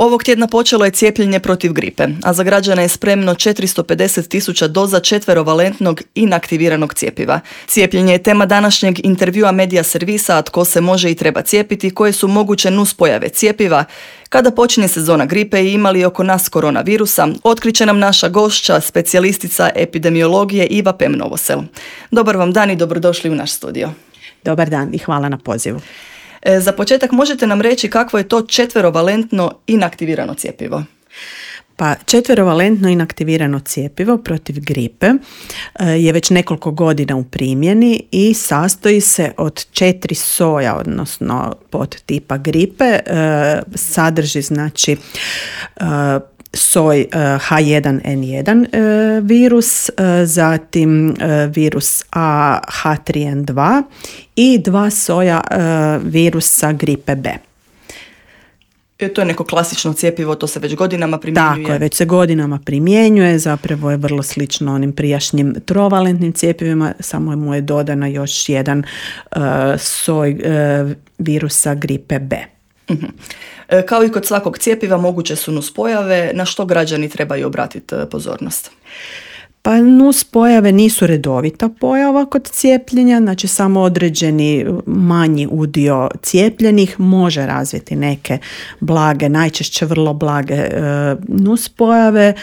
Ovog tjedna počelo je cijepljenje protiv gripe, a za građane je spremno 450.000 doza četverovalentnog inaktiviranog cjepiva. Cijepljenje je tema današnjeg intervjua Medija servisa, a tko se može i treba cijepiti, koje su moguće nuspojave cjepiva, kada počinje sezona gripe i ima li oko nas koronavirusa, otkriće nam naša gošća, specijalistica epidemiologije Iva Pem-Novosel. Dobar vam dan i dobrodošli u naš studio. Dobar dan i hvala na pozivu. Za početak možete nam reći kakvo je to četverovalentno inaktivirano cjepivo? Pa četverovalentno inaktivirano cjepivo protiv gripe je već nekoliko godina u primjeni i sastoji se od 4 soja, odnosno podtipa gripe. Sadrži znači soj H1N1 virus, zatim virus A H3N2 i 2 soja virusa gripe B. To je neko klasično cjepivo, to se već godinama primjenjuje. Tako je, već se godinama primjenjuje, zapravo je vrlo slično onim prijašnjim trovalentnim cjepivima, samo mu je dodana još jedan soj virusa gripe B. Uh-huh. Kao i kod svakog cjepiva moguće su nuspojave, na što građani trebaju obratiti pozornost? Pa nuspojave nisu redovita pojava kod cijepljenja, znači samo određeni manji udio cijepljenih može razviti neke blage, najčešće vrlo blage nuspojave.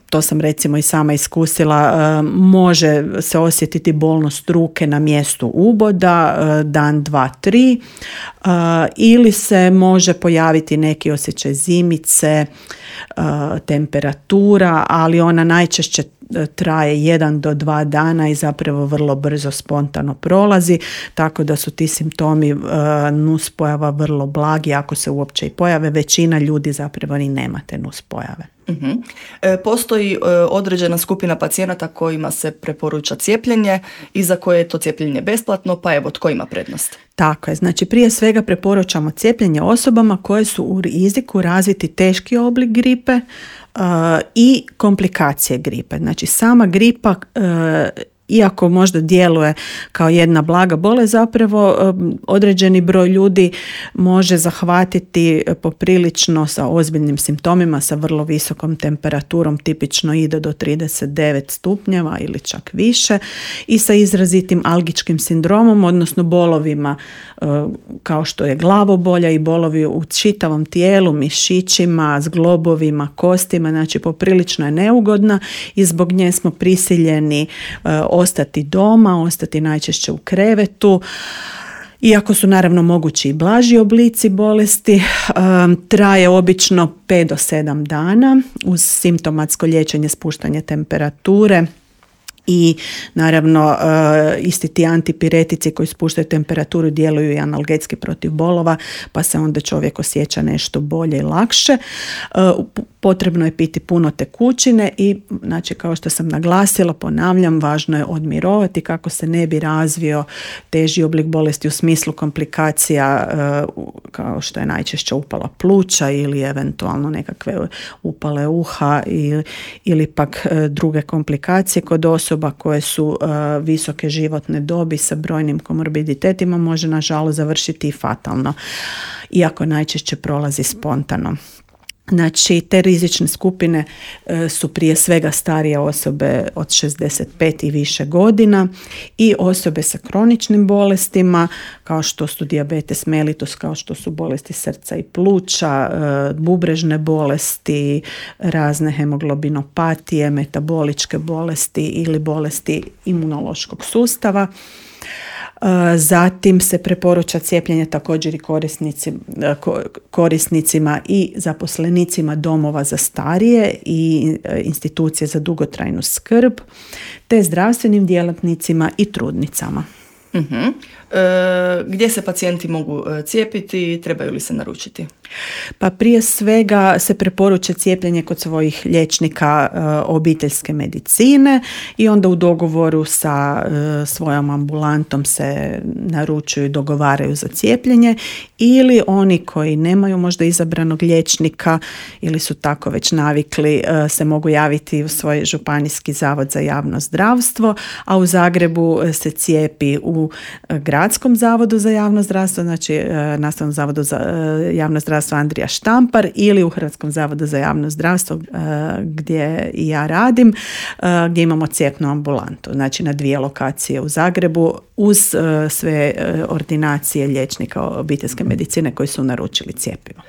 To sam recimo i sama iskusila, može se osjetiti bolnost ruke na mjestu uboda, dan, 2, 3, ili se može pojaviti neki osjećaj zimice, temperatura, ali ona najčešće traje 1 do 2 dana i zapravo vrlo brzo spontano prolazi, tako da su ti simptomi nuspojava vrlo blagi, ako se uopće i pojave, većina ljudi zapravo ni nema te nuspojave. Uh-huh. Postoji određena skupina pacijenata kojima se preporuča cijepljenje i za koje je to cijepljenje besplatno, pa evo tko ima prednost? Tako je, znači prije svega preporučamo cijepljenje osobama koje su u riziku razviti teški oblik gripe i komplikacije gripe. Znači sama gripa, iako možda djeluje kao jedna blaga bolest, zapravo određeni broj ljudi može zahvatiti poprilično sa ozbiljnim simptomima, sa vrlo visokom temperaturom, tipično ide do 39 stupnjeva ili čak više, i sa izrazitim algičkim sindromom, odnosno bolovima kao što je glavobolja i bolovi u čitavom tijelu, mišićima, zglobovima, kostima, znači poprilično je neugodna i zbog nje smo prisiljeni ostati doma, ostati najčešće u krevetu. Iako su naravno mogući i blaži oblici bolesti, traje obično 5 do 7 dana uz simptomatsko liječenje, spuštanje temperature i naravno isti ti antipiretici koji spuštaju temperaturu djeluju i analgetski protiv bolova, pa se onda čovjek osjeća nešto bolje i lakše. Potrebno je piti puno tekućine i, znači, kao što sam naglasila, ponavljam, važno je odmirovati kako se ne bi razvio teži oblik bolesti u smislu komplikacija kao što je najčešće upala pluća ili eventualno nekakve upale uha ili pak druge komplikacije kod osoba koje su visoke životne dobi sa brojnim komorbiditetima, može nažalost završiti i fatalno, iako najčešće prolazi spontano. Znači, te rizične skupine su prije svega starije osobe od 65 i više godina i osobe sa kroničnim bolestima kao što su dijabetes mellitus, kao što su bolesti srca i pluća, bubrežne bolesti, razne hemoglobinopatije, metaboličke bolesti ili bolesti imunološkog sustava. Zatim se preporuča cijepljenje također i korisnicima i zaposlenicima domova za starije i institucije za dugotrajnu skrb, te zdravstvenim djelatnicima i trudnicama. Uh-huh. Gdje se pacijenti mogu cijepiti i trebaju li se naručiti? Pa prije svega se preporuča cijepljenje kod svojih liječnika obiteljske medicine i onda u dogovoru sa svojom ambulantom se naručuju i dogovaraju za cijepljenje, ili oni koji nemaju možda izabranog liječnika ili su tako već navikli se mogu javiti u svoj županijski zavod za javno zdravstvo, a u Zagrebu se cijepi u gradu Gradskom zavodu za javno zdravstvo, znači Nastavnom zavodu za javno zdravstvo Andrija Štampar, ili u Hrvatskom zavodu za javno zdravstvo gdje i ja radim, gdje imamo cijepnu ambulantu, znači na 2 lokacije u Zagrebu uz sve ordinacije liječnika obiteljske medicine koji su naručili cjepivo.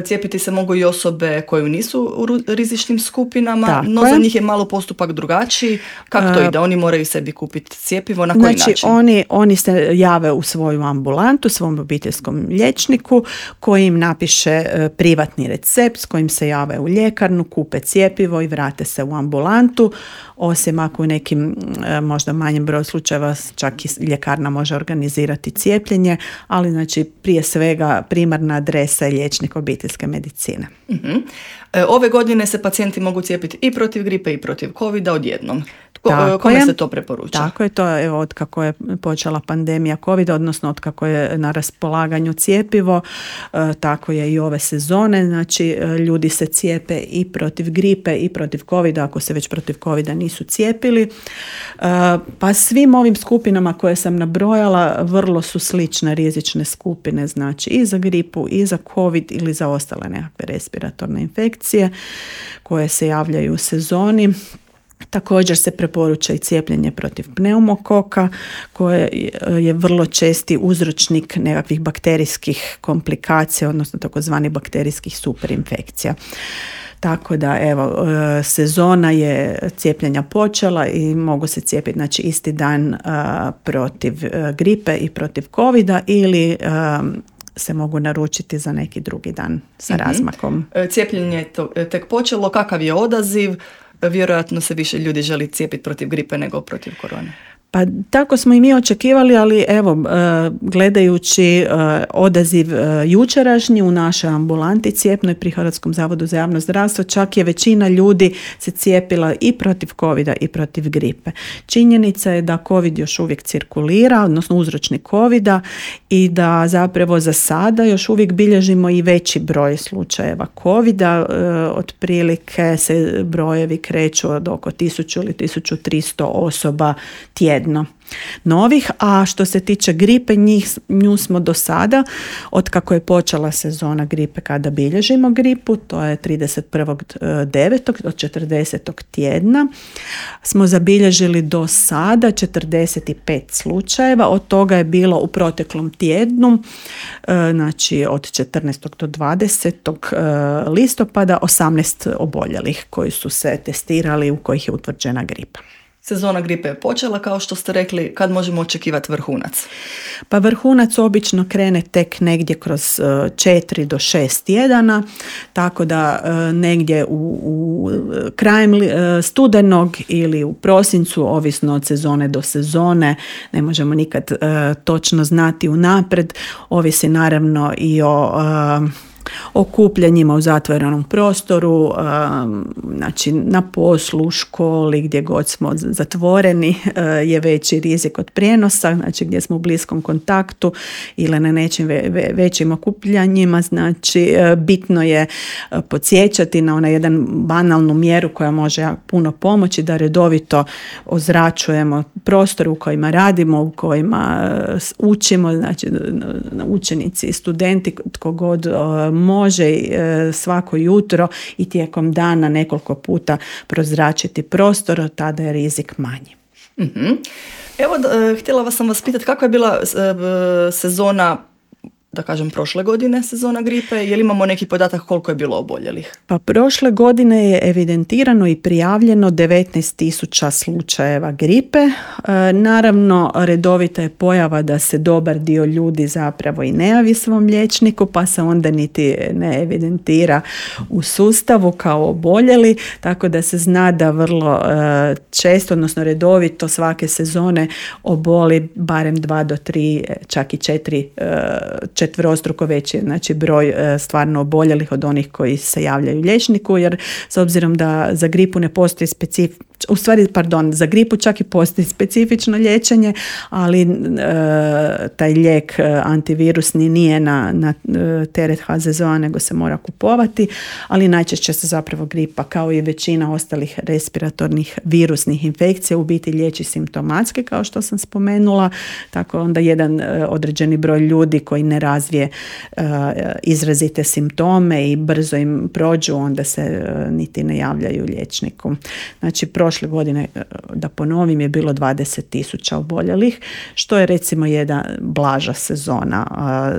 Cijepiti se mogu i osobe koje nisu u rizičnim skupinama, Tako no za njih je malo postupak drugačiji. Kako to ide? Oni moraju sebi kupiti cjepivo, na koji način? Oni se jave u svoju ambulantu, svom obiteljskom liječniku koji im napiše privatni recept s kojim se jave u ljekarnu, kupe cjepivo i vrate se u ambulantu, osim ako u nekim možda manjem broju slučajeva čak i ljekarna može organizirati cijepljenje, ali znači prije svega primarna adresa je liječnik obiteljske medicine. Uh-huh. Ove godine se pacijenti mogu cijepiti i protiv gripe i protiv covida odjednom. Kome se to preporuča? Tako je to, evo, od kako je počela pandemija covida, odnosno od kako je na raspolaganju cjepivo, tako je i ove sezone, znači ljudi se cijepe i protiv gripe i protiv covida, ako se već protiv covida nisu cijepili. Pa svim ovim skupinama koje sam nabrojala vrlo su slične rizične skupine, znači i za gripu i za covid ili za ostale nekakve respiratorne infekcije koje se javljaju u sezoni. Također se preporuča i cijepljenje protiv pneumokoka koje je vrlo česti uzročnik nekakvih bakterijskih komplikacija, odnosno takozvani bakterijskih superinfekcija. Tako da evo, sezona je cijepljenja počela i mogu se cijepiti znači isti dan protiv gripe i protiv covida ili se mogu naručiti za neki drugi dan sa razmakom. Cijepljenje je tek počelo, kakav je odaziv? Vjerojatno se više ljudi želi cijepiti protiv gripe nego protiv korone. Pa tako smo i mi očekivali, ali evo, gledajući odaziv jučerašnji u našoj ambulanti cijepnoj pri Hrvatskom zavodu za javno zdravstvo, čak je većina ljudi se cijepila i protiv covida i protiv gripe. Činjenica je da covid još uvijek cirkulira, odnosno uzročnik covida, i da zapravo za sada još uvijek bilježimo i veći broj slučajeva covida, otprilike se brojevi kreću od oko 1000 ili 1300 osoba tjedno novih, a što se tiče gripe, nju smo do sada, od kako je počela sezona gripe kada bilježimo gripu, to je 31.9. do 40. tjedna, smo zabilježili do sada 45 slučajeva, od toga je bilo u proteklom tjednu, znači od 14. do 20. listopada 18 oboljelih koji su se testirali, u kojih je utvrđena gripa. Sezona gripe je počela, kao što ste rekli, kad možemo očekivati vrhunac? Pa vrhunac obično krene tek negdje kroz 4 do 6 tjedana, tako da negdje u krajem studenog ili u prosincu, ovisno od sezone do sezone, ne možemo nikad točno znati unaprijed, ovisi naravno i o okupljanjima u zatvorenom prostoru, znači na poslu, u školi, gdje god smo zatvoreni je veći rizik od prijenosa, znači gdje smo u bliskom kontaktu ili na nečim većim okupljanjima, znači bitno je podsjećati na onaj jedan banalnu mjeru koja može puno pomoći, da redovito ozračujemo prostor u kojima radimo, u kojima učimo, znači učenici i studenti, tko god može svako jutro i tijekom dana nekoliko puta prozračiti prostor, tada je rizik manji. Mm-hmm. Evo, htjela sam vas pitati kako je bila sezona, da kažem prošle godine, sezona gripe, je li imamo neki podatak koliko je bilo oboljelih? Pa prošle godine je evidentirano i prijavljeno 19.000 slučajeva gripe. Naravno, redovita je pojava da se dobar dio ljudi zapravo i ne javi svom liječniku, pa se onda niti ne evidentira u sustavu kao oboljeli, tako da se zna da vrlo često, odnosno redovito svake sezone oboli barem 2 do 3, čak i 4 veći, znači broj stvarno oboljelih od onih koji se javljaju liječniku, jer s obzirom da za gripu ne postoji u stvari, za gripu čak i postoji specifično liječenje, ali taj lijek antivirusni nije na teret HZZO-a, nego se mora kupovati, ali najčešće se zapravo gripa, kao i većina ostalih respiratornih virusnih infekcija, u biti liječi simptomatski, kao što sam spomenula, tako onda jedan određeni broj ljudi koji ne razvije izrazite simptome i brzo im prođu, onda se niti ne javljaju liječniku. Znači, prošle godine, da ponovim, je bilo 20.000 oboljelih, što je recimo jedna blaža sezona.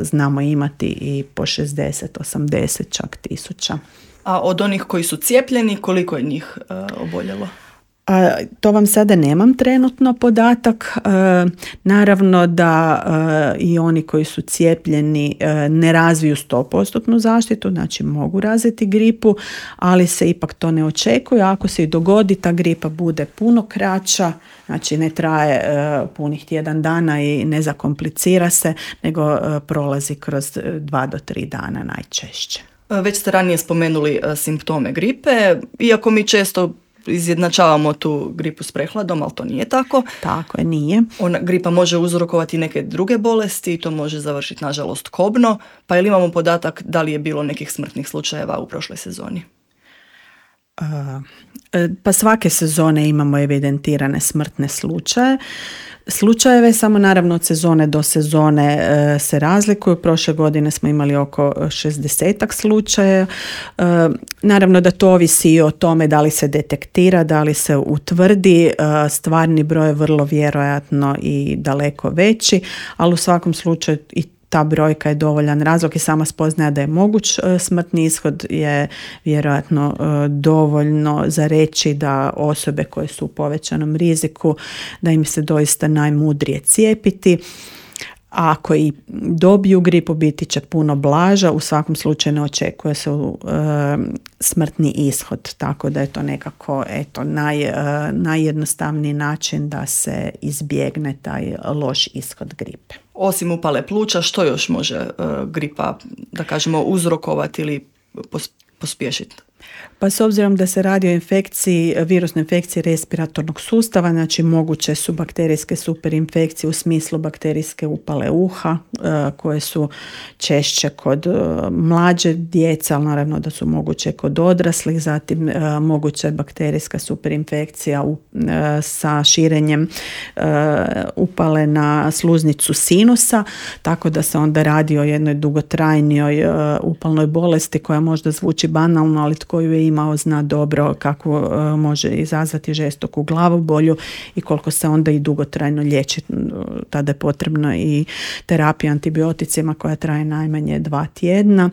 Znamo imati i po 60, 80 čak tisuća. A od onih koji su cijepljeni, koliko je njih oboljelo? To vam sada nemam trenutno podatak. Naravno da i oni koji su cijepljeni ne razviju 100% zaštitu, znači mogu razviti gripu, ali se ipak to ne očekuje. Ako se i dogodi, ta gripa bude puno kraća, znači ne traje punih tjedan dana i ne zakomplicira se, nego prolazi kroz 2 do 3 dana najčešće. Već ste ranije spomenuli simptome gripe, iako mi često izjednačavamo tu gripu s prehladom, ali to nije tako. Tako je, nije. Gripa može uzrokovati neke druge bolesti i to može završiti, nažalost, kobno. Pa ili imamo podatak da li je bilo nekih smrtnih slučajeva u prošloj sezoni? Pa svake sezone imamo evidentirane smrtne slučajeve, samo naravno od sezone do sezone se razlikuju. Prošle godine smo imali oko 60 slučaja. Naravno da to ovisi i o tome da li se detektira, da li se utvrdi. Stvarni broj je vrlo vjerojatno i daleko veći, ali u svakom slučaju i ta brojka je dovoljan razlog i sama spoznaja da je moguć smrtni ishod je vjerojatno dovoljno za reći da osobe koje su u povećanom riziku, da im se doista najmudrije cijepiti. A ako i dobiju gripu, biti će puno blaža, u svakom slučaju ne očekuje se smrtni ishod, tako da je to nekako najjednostavniji način da se izbjegne taj loš ishod gripe. Osim upale pluća, što još može gripa, da kažemo, uzrokovati ili pospješiti? Pa s obzirom da se radi o infekciji, virusnoj infekciji respiratornog sustava, znači moguće su bakterijske superinfekcije u smislu bakterijske upale uha, koje su češće kod mlađe djece, ali naravno da su moguće kod odraslih, zatim moguća je bakterijska superinfekcija sa širenjem upale na sluznicu sinusa, tako da se onda radi o jednoj dugotrajnijoj upalnoj bolesti koja možda zvuči banalno, ali tko ju je imao zna dobro kako može izazvati žestoku glavobolju i koliko se onda i dugotrajno liječi. Tada je potrebno i terapija antibioticima koja traje najmanje 2 tjedna,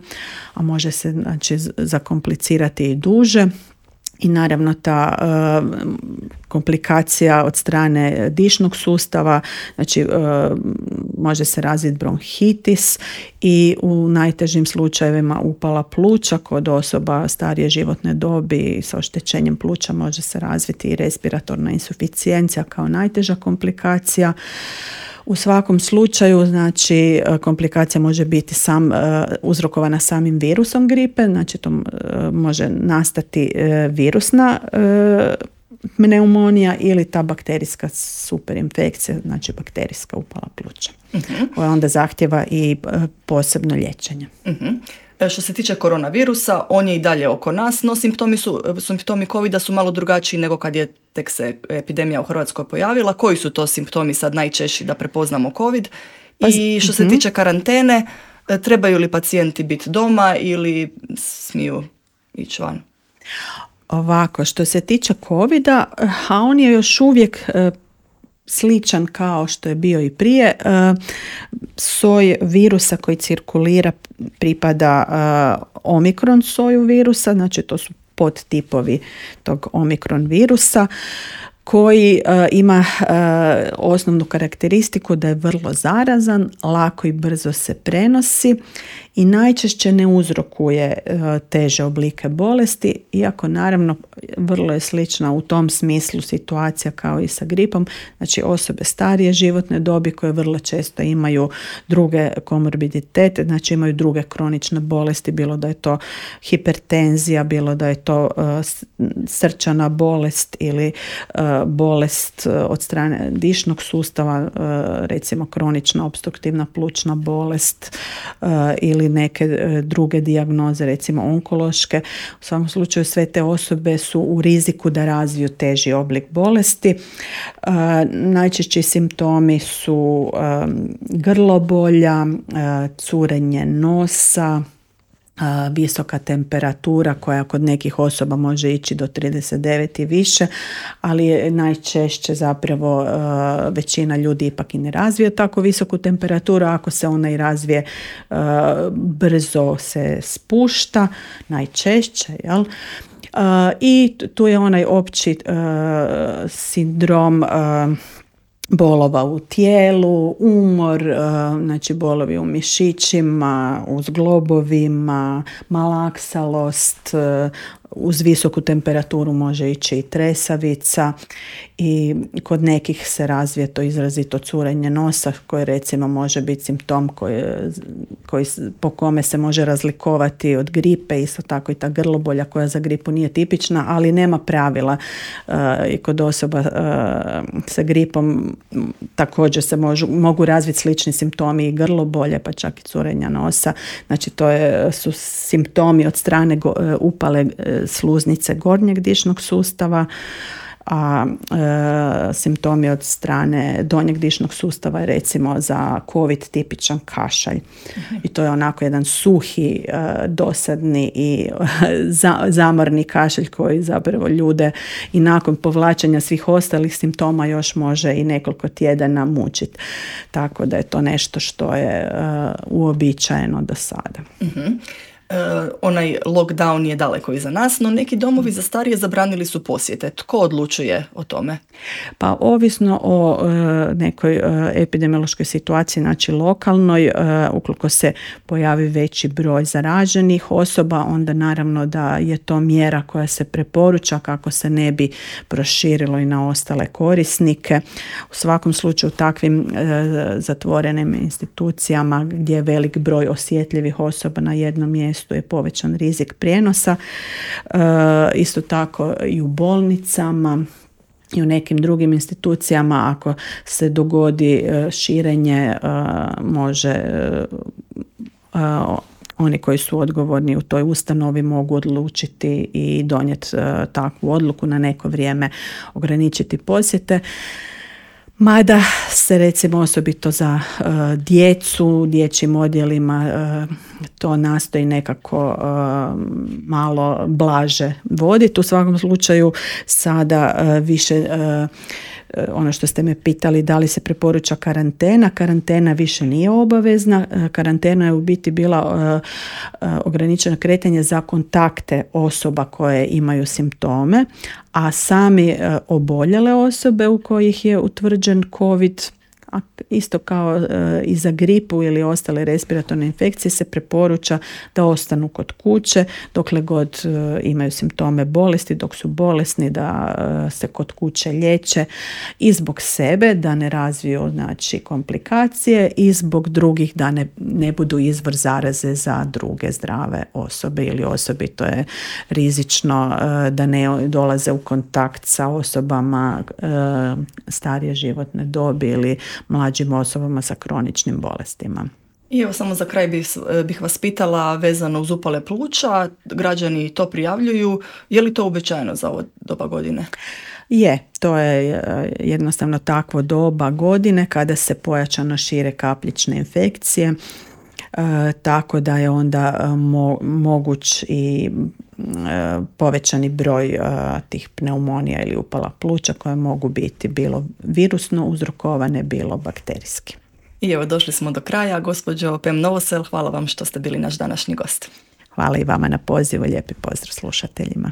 a može se znači zakomplicirati i duže. I naravno ta komplikacija od strane dišnog sustava, znači može se razviti bronhitis i u najtežim slučajevima upala pluća kod osoba starije životne dobi sa oštećenjem pluća može se razviti i respiratorna insuficijencija kao najteža komplikacija. U svakom slučaju, znači, komplikacija može biti uzrokovana samim virusom gripe, znači to može nastati virusna pneumonija ili ta bakterijska superinfekcija, znači bakterijska upala pluća, koja onda zahtjeva i posebno liječenje. Što se tiče koronavirusa, on je i dalje oko nas, no simptomi COVID-a su malo drugačiji nego kad je tek se epidemija u Hrvatskoj pojavila. Koji su to simptomi sad najčešći da prepoznamo COVID? I što se tiče karantene, trebaju li pacijenti biti doma ili smiju ići van? Ovako, što se tiče COVID-a, a on je još uvijek sličan kao što je bio i prije. Soj virusa koji cirkulira pripada omikron soju virusa, znači to su podtipovi tog omikron virusa. koji ima osnovnu karakteristiku da je vrlo zarazan, lako i brzo se prenosi i najčešće ne uzrokuje teže oblike bolesti, iako naravno vrlo je slična u tom smislu situacija kao i sa gripom. Znači osobe starije životne dobi koje vrlo često imaju druge komorbiditete, znači imaju druge kronične bolesti, bilo da je to hipertenzija, bilo da je to srčana bolest ili bolest od strane dišnog sustava, recimo kronična opstruktivna plućna bolest ili neke druge dijagnoze, recimo onkološke. U svakom slučaju sve te osobe su u riziku da razviju teži oblik bolesti. Najčešći simptomi su grlobolja, curenje nosa, visoka temperatura koja kod nekih osoba može ići do 39 i više, ali je najčešće zapravo većina ljudi ipak i ne razvije tako visoku temperaturu. Ako se ona i razvije, brzo se spušta, najčešće, jel? I tu je onaj opći sindrom bolova u tijelu, umor, znači bolovi u mišićima, u zglobovima, malaksalost, uz visoku temperaturu može ići i tresavica i kod nekih se razvije to izrazito curenje nosa koje recimo može biti simptom koji po kome se može razlikovati od gripe, isto tako i ta grlobolja koja za gripu nije tipična, ali nema pravila. I kod osoba sa gripom također se mogu razviti slični simptomi i grlobolje, pa čak i curenja nosa. Znači to su simptomi od strane upale sluznice gornjeg dišnog sustava, a simptomi od strane donjeg dišnog sustava je recimo za COVID tipičan kašalj. I to je onako jedan suhi, dosadni i zamorni kašalj koji zapravo ljude i nakon povlačenja svih ostalih simptoma još može i nekoliko tjedana mučiti. Tako da je to nešto što je uobičajeno do sada. Onaj lockdown je daleko iza nas, no neki domovi za starije zabranili su posjete. Tko odlučuje o tome? Pa ovisno o nekoj epidemiološkoj situaciji, znači lokalnoj, ukoliko se pojavi veći broj zaraženih osoba, onda naravno da je to mjera koja se preporuča kako se ne bi proširilo i na ostale korisnike. U svakom slučaju takvim zatvorenim institucijama gdje je velik broj osjetljivih osoba na jednom mjestu je povećan rizik prijenosa. Isto tako i u bolnicama i u nekim drugim institucijama ako se dogodi širenje može oni koji su odgovorni u toj ustanovi mogu odlučiti i donijeti takvu odluku na neko vrijeme ograničiti posjete. Mada se recimo osobito za djecu, dječjim odjelima to nastoji nekako malo blaže voditi. U svakom slučaju sada više ono što ste me pitali da li se preporuča karantena. Karantena više nije obavezna. Karantena je u biti bila ograničeno kretanje za kontakte osoba koje imaju simptome, a sami oboljele osobe u kojih je utvrđen COVID, a isto kao i za gripu ili ostale respiratorne infekcije se preporuča da ostanu kod kuće dokle god imaju simptome bolesti, dok su bolesni da se kod kuće liječe i zbog sebe da ne razviju znači komplikacije i zbog drugih da ne budu izvor zaraze za druge zdrave osobe ili osobito je rizično da ne dolaze u kontakt sa osobama starije životne dobi ili mlađim osobama sa kroničnim bolestima. I evo samo za kraj bih vas pitala vezano uz upale pluća, građani to prijavljuju, je li to uobičajeno za ovo doba godine? Je, to je jednostavno takvo doba godine kada se pojačano šire kapljične infekcije, tako da je onda moguć i povećani broj tih pneumonija ili upala pluća koje mogu biti bilo virusno uzrokovane, bilo bakterijski. I evo došli smo do kraja. Gospođo Pem Novosel, hvala vam što ste bili naš današnji gost. Hvala i vama na pozivu, lijepi pozdrav slušateljima.